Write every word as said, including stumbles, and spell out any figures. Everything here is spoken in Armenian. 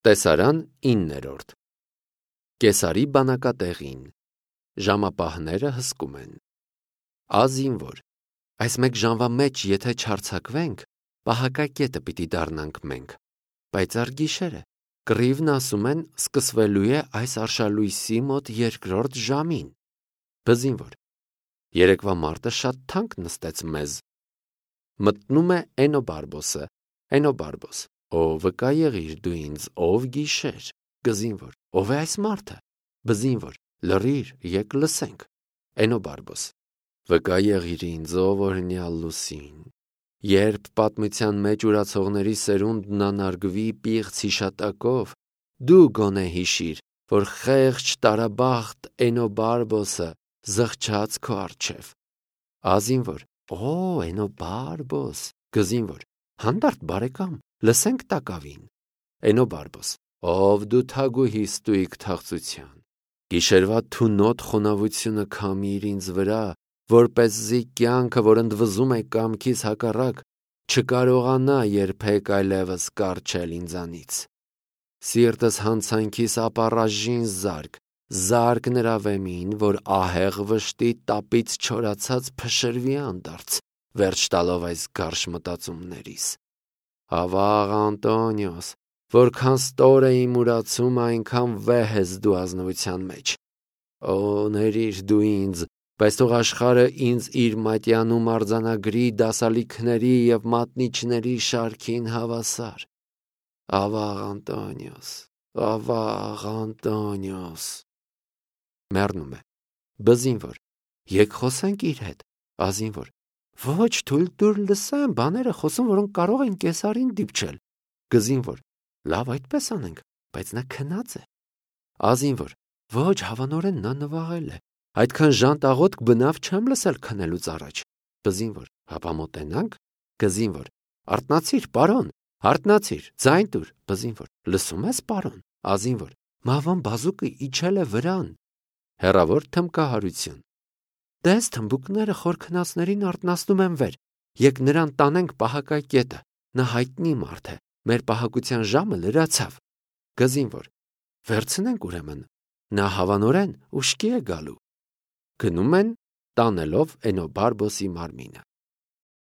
Տեսարան իններորդ Կեսարի բանակատեղին Ժամապահները հսկում են Ազին որ Այս մեկ ժամվա մեջ եթե չարձակվենք պահակակետը պիտի դառնանք մենք Պայծառ գիշեր է Կռիվն ասում են սկսվելու է այս արշալույսի մոտ երկրորդ ժամին Բզին որ Երեկվա մարտը շատ թանկ նստեց մեզ Մտնում է Էնոբարբոսը Էնոբարբոս Ո վկա եղիր դու ինձ ով գիշեր Գզին որ ով է այս մարդը Բզին որ լռիր եկ լսենք Էնոբարբոս Վկա եղիր ինձ ով օրհնյալ լուսին Երբ պատմության մեջ ուրացողների սերունդն անարգվի պիղծ հիշատակով դու գոնե հիշիր որ խեղճ տարաբախտ Էնոբարբոսը զղջաց քո առջև Ազին որ Օ Էնոբարբոս Գզին որ հանդարտ բարեկամ լսենք տակավին Էնոբարբոս Ով դու թագուհիս տույք թախծության Գիշերվա թունոտ խոնավությունը քամիր ինձ վրա Որպեսզի կյանքը որ ընդվզում է կամքիս հակառակ Չկարողանա երբեք այլևս կառչել ինձանից Սիրտս հանցանքիս ապառաժին զարկ Զարկ նրա վեմին որ ահեղ վշտի տապից չորացած փշրվի անդարձ Վերջ տալով այս գարշ մտածումներիս Ավաղ Անտոնիոս Որքան ստոր է իմ ուրացումը այնքան վեհ ես դու ազնվության մեջ Օ ներիր դու ինձ Բայց թող աշխարհը ինձ իր մատյանում արձանագրի դասալիքների և մատնիչների շարքին հավասար Ավաղ Անտոնիոս Ավաղ Անտոնիոս Մեռնում է Բզին որ Եկ խոսենք իր հետ Ազին որ Ոչ թույլ տուր լսեմ բաները խոսում որոնք կարող են կեսարին դիպչել Գզին որ Լավ այդպես անենք բայց նա քնած է Ազին որ Ոչ հավանորեն նա նվաղել է Այդքան ժանտաղոտ բնավ չեմ լսել քնելուց առաջ Բզին որ Հապա մոտենանք Գզին որ Արթնացիր պարոն Հարթնացիր ձայն տուր Բզին որ Լսում ես պարոն Ազին որ Մավան բազուկը իջել է վրան Հեռավոր թմբկահարություն Տես թմբուկները խոր քնածներին արթնացնում են վեր Եկ նրան տանենք պահակակետը Նա հայտնի մարդ է Մեր պահակության ժամը լրացավ Գզին որ Վերցնենք ուրեմն Նա հավանորեն ուշքի է գալու Գնում են տանելով Էնոբարբոսի մարմինը